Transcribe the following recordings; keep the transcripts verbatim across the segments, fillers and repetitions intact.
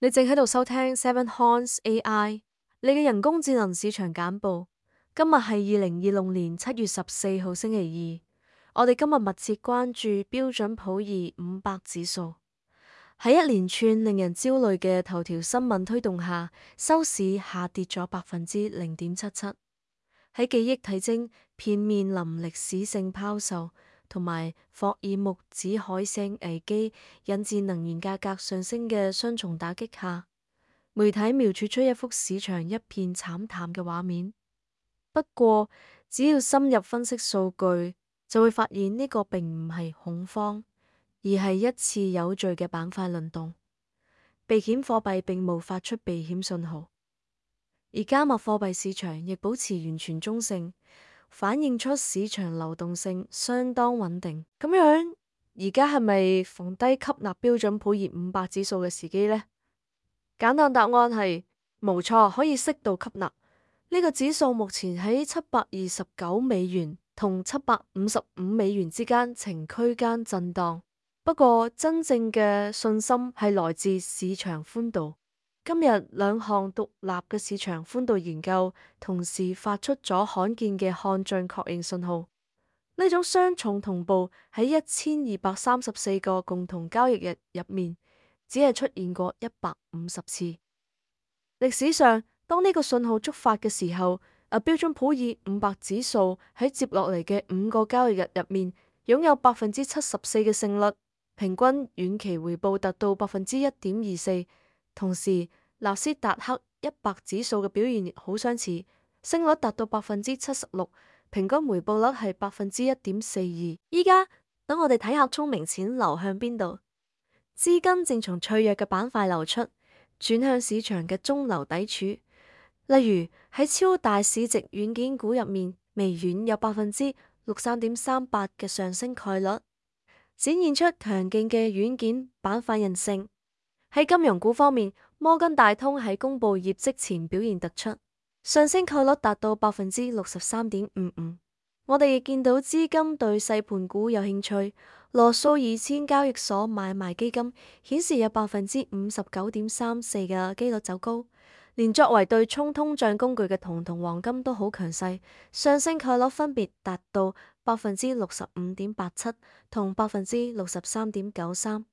你正喺度收聽 Seven Horns A I，你嘅人工智能市場簡報。今日係二零二六年七月十四號星期二。我哋今日密切關注標準普爾五百指數。喺一連串令人焦慮嘅頭條新聞推動下，收市下跌咗百分之零點七七。喺記憶體徵片面臨歷史性拋售，同埋霍爾木茲海嘯危機引致能源價格上升嘅雙重打擊下，媒體描繪出一幅市場一片慘淡嘅畫面。不過，只要深入分析數據，就會發現呢個並唔係恐慌，而係一次有序嘅板塊輪動。避險貨幣並無發出避險信號，而加密貨幣市場亦保持完全中性，反映出市場流動性相當穩定。咁樣，而家係咪逢低吸納標準普爾五百指數嘅時機呢？簡單答案係冇錯，可以適度吸納。呢個指數目前喺七百二十九美元同七百五十五美元之間呈區間震盪。不過，真正嘅信心係來自市場寬度。今日兩項獨立嘅市場寬度研究同時發出咗罕見嘅看漲確認信號。呢種雙重同步喺一千二百三十四個共同交易日入面，只係出現過一百五十次。歷史上，當呢個信號觸發嘅時候，啊標準普爾五百指數喺接落嚟嘅五個交易日入面，擁有百分之七十四嘅勝率，平均遠期回報達到百分之一點二四。同時，納斯達克一百指數嘅表現亦好相似，勝率達到百分之七十六，平均回報率係百分之一點四二。依家等我哋睇下聰明錢流向邊度，資金正從脆弱嘅板塊流出，轉向市場嘅中流砥柱。例如喺超大市值軟件股入面，微軟有百分之六三點三八嘅上升概率，展現出強勁嘅軟件板塊韌性。喺金融股方面，摩根大通喺公布業績前表現突出，上升概率達到百分之六十三點五五。我哋亦見到資金對細盤股有興趣，羅素二千交易所買賣基金顯示有百分之五十九點三四嘅機率走高。連作為對沖通脹工具嘅銅同黃金都好強勢，上升概率分別達到百分之六十五點八七同百分之六十三點九三。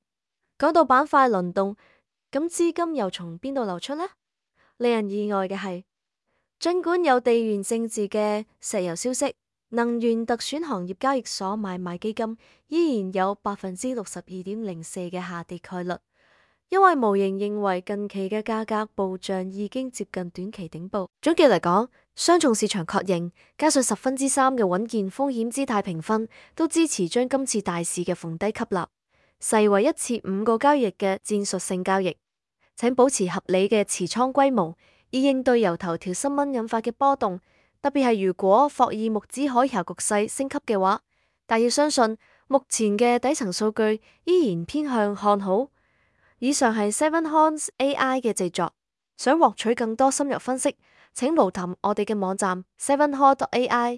講到板塊輪動，咁資金又從邊度流出呢？令人意外嘅係，儘管有地緣政治嘅石油消息，能源特選行業交易所買賣基金依然有百分之六十二點零四嘅下跌概率。因為模型認為近期嘅價格暴漲已經接近短期頂部。總結嚟講，雙重市場確認加上十分之三嘅穩健風險姿態評分，都支持將今次大市嘅逢低吸納視為一次五個交易日嘅戰術性交易。請保持合理嘅持倉規模，以應對由頭條新聞引發嘅波動。特別係如果霍爾木茲海峽局勢升級嘅話，但要相信目前嘅底層數據依然偏向看好。以上係 Seven Horns A I 嘅製作，想獲取更多深入分析，請瀏覽我哋嘅網站 seven horns dot A I。